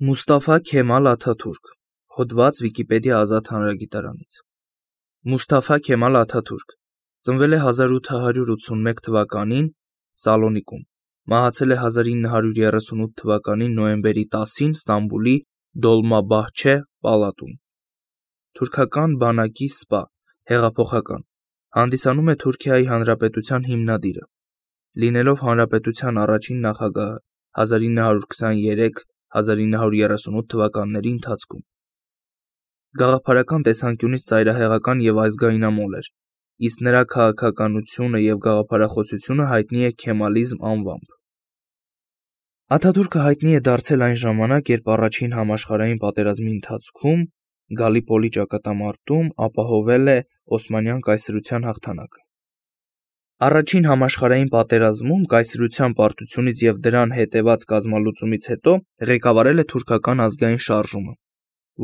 Մուստաֆա Քեմալ Աթաթուրք, հոդված Վիկիպեդիա ազատ հանրագիտարանից։ Մուստաֆա Քեմալ Աթաթուրք ծնվել է 1881 թվականին Սալոնիկում, մահացել է 1938 թվականի նոյեմբերի 10-ին Ստամբուլի Դոլմաբահչե պալատում։ Թուրքական բանակի սպա, հեղափոխական, հանդիսանում է Թուրքիայի Հանրապետության հիմնադիրը, լինելով հանրապետության առաջին նախագահը 1923-1938 թվականների ընթացքում։ Գաղափարական տեսանկյունից ծայրահեղական և ազգայնամոլ էր, իսկ նրա քաղաքականությունը և գաղափարախոսությունը հայտնի է քեմալիզմ անվամբ։ Աթաթուրքը հայտնի է դարձել այն ժամանակ, երբ առաջին համաշխարհային պատերազմի ընթացքում Գալիպոլի ճակատամարտում ապահովել է Օսմանյան կայսրության հաղթանակը։ Առաջին համաշխարհային պատերազմում կայսրության պարտությունից և դրան հետևած կազմալուծումից հետո ղեկավարել է թուրքական ազգային շարժումը,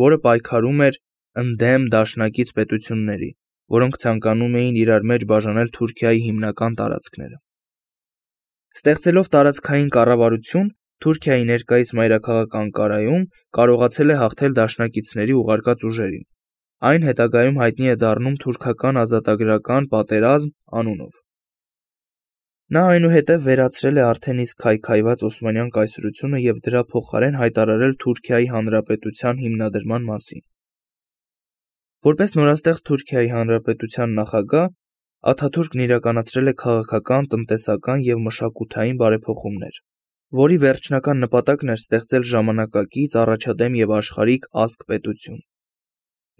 որը պայքարում էր ընդդեմ դաշնակից պետությունների, որոնք ցանկանում էին իրար մեջ բաժանել Թուրքիայի հիմնական տարածքները։ Ստեղծելով տարածքային կառավարություն, Թուրքիայի ներկայիս մայրաքաղաք Անկարայում կարողացել է հաղթել դաշնակիցների ուղարկած ուժերին։ Այն հետագայում հայտնի է դառնում թուրքական ազատագրական պատերազմ անունով։ Նա այնուհետև վերացրել է արդեն իսկ քայքայված Օսմանյան կայսրությունը և դրա փոխարեն հայտարարել Թուրքիայի Հանրապետության հիմնադրման մասին։ Որպես նորաստեղծ Թուրքիայի Հանրապետության նախագահ, Աթաթուրքն իրականացրել է քաղաքական, տնտեսական և մշակութային բարեփոխումներ, որի վերջնական նպատակն էր ստեղծել ժամանակակից, առաջադեմ և աշխարհիկ ազգ-պետություն։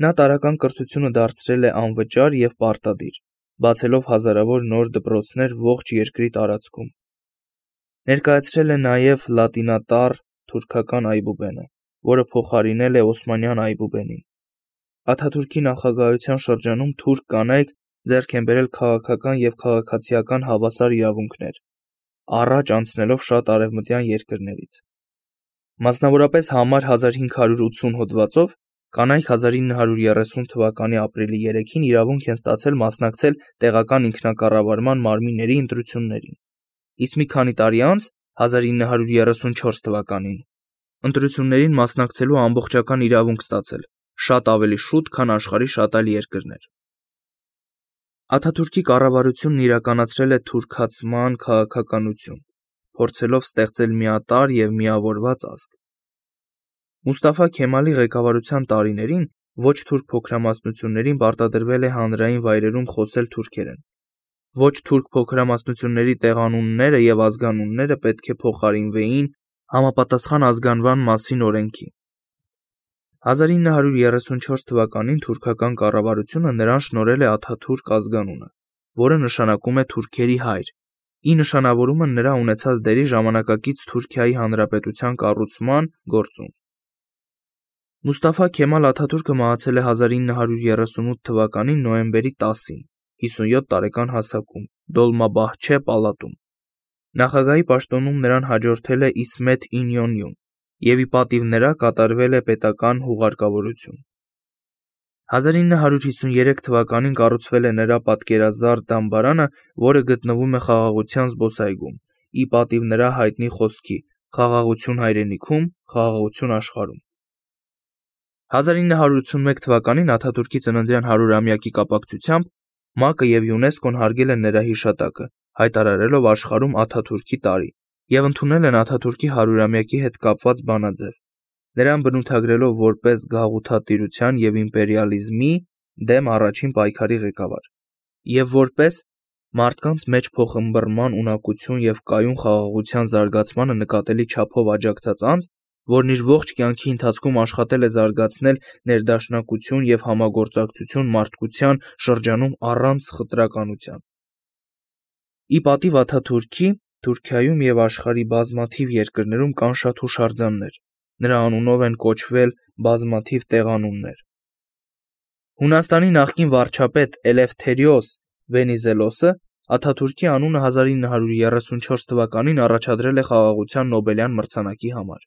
Նա տարրական կրթությունը դարձրել է անվճար և պարտադիր, բացելով հազարավոր նոր դպրոցներ ողջ երկրի տարածքում։ Ներկայացրել է նաև լատինատառ թուրքական այբուբենը, որը փոխարինել է օսմանյան այբուբենին։ Աթաթուրքի նախագահության շրջանում թուրք կանայք ձեռք են բերել քաղաքական և քաղաքացիական հավասար իրավունքներ, առաջ անցնելով շատ արևմտյան երկրներից։ Մասնավորապես համար 1580 հոդվածով կանայք 1930 թվականի ապրիլի 3-ին իրավունք են ստացել մասնակցել տեղական ինքնակառավարման մարմինների ընտրություններին, իսկ մի քանի տարի անց 1934 թվականին ընտրություններին մասնակցելու ամբողջական իրավունք ստացել, շատ ավելի շուտ, քան աշխարհի շատ այլ երկրներ։ Աթաթուրքի կառավարությունն իրականացրել է թուրքացման քաղաքականություն, փորձելով ստեղծել միատարր և միավորված ազգ։ Մուստաֆա Քեմալի ղեկավարության տարիներին ոչ թուրք փոքրամասնություններին պարտադրվել է հանրային վայրերում խոսել թուրքերեն։ Ոչ թուրք փոքրամասնությունների տեղանունները և ազգանունները պետք է փոխարինվեին համապատասխան ազգանվան մասին օրենքի։ 1934 թվականին թուրքական կառավարությունը նրան շնորհել է Աթաթուրք ազգանունը, որը նշանակում է թուրքերի հայր, ի նշանավորումը նրա ունեցած դերի ժամանակակից Թուրքիայի Հանրապետության կառուցման գործում։ Մուստաֆա Քեմալ Աթաթուրքը մահացել է 1938 թվականի նոյեմբերի 10-ին, 57 տարեկան հասակում, Դոլմաբահչե պալատում։ Նախագահի պաշտոնում նրան հաջորդել է Իսմեթ Ինյոնյուն, և ի պատիվ նրա կատարվել է պետական հուղարկավորություն։ 1953 թվականին կառուցվել է նրա պատկերազարդ դամբարանը, որը գտնվում է Խաղաղության զբոսայգում, ի պատիվ նրա հայտնի խոսքի «Խաղաղություն հայրենիքում, խաղաղություն աշխարհում»։ 1981 թվականին Աթաթուրքի ծննդյան 100-ամյակի կապակցությամբ ՄԱԿ-ը և ՅՈՒՆԵՍԿՕ-ն հարգել են նրա հիշատակը, հայտարարելով աշխարհում Աթաթուրքի տարի, և ընդունել են Աթաթուրքի 100-ամյակի հետ կապված բանաձև, նրան բնութագրելով որպես գաղութատիրության և իմպերիալիզմի դեմ առաջին պայքարի ղեկավար, և որպես մարդկանց մեջ փոխըմբռնման ունակություն և կայուն խաղաղության զարգացմանը նկատելի չափով աջակցած անձ, որն իր ողջ կյանքի ընթացքում աշխատել է զարգացնել ներդաշնակություն և համագործակցություն մարդկության շրջանում առանց խտրականության։ Ի պատիվ Աթաթուրքի, Թուրքիայում և աշխարհի բազմաթիվ երկրներում կան շատ հուշարձաններ, նրա անունով են կոչվել բազմաթիվ տեղանուններ։ Հունաստանի նախկին վարչապետ Էլեֆթերիոս Վենիզելոսը Աթաթուրքի անունը 1934 թվականին առաջադրել է խաղաղության Նոբելյան մրցանակի համար։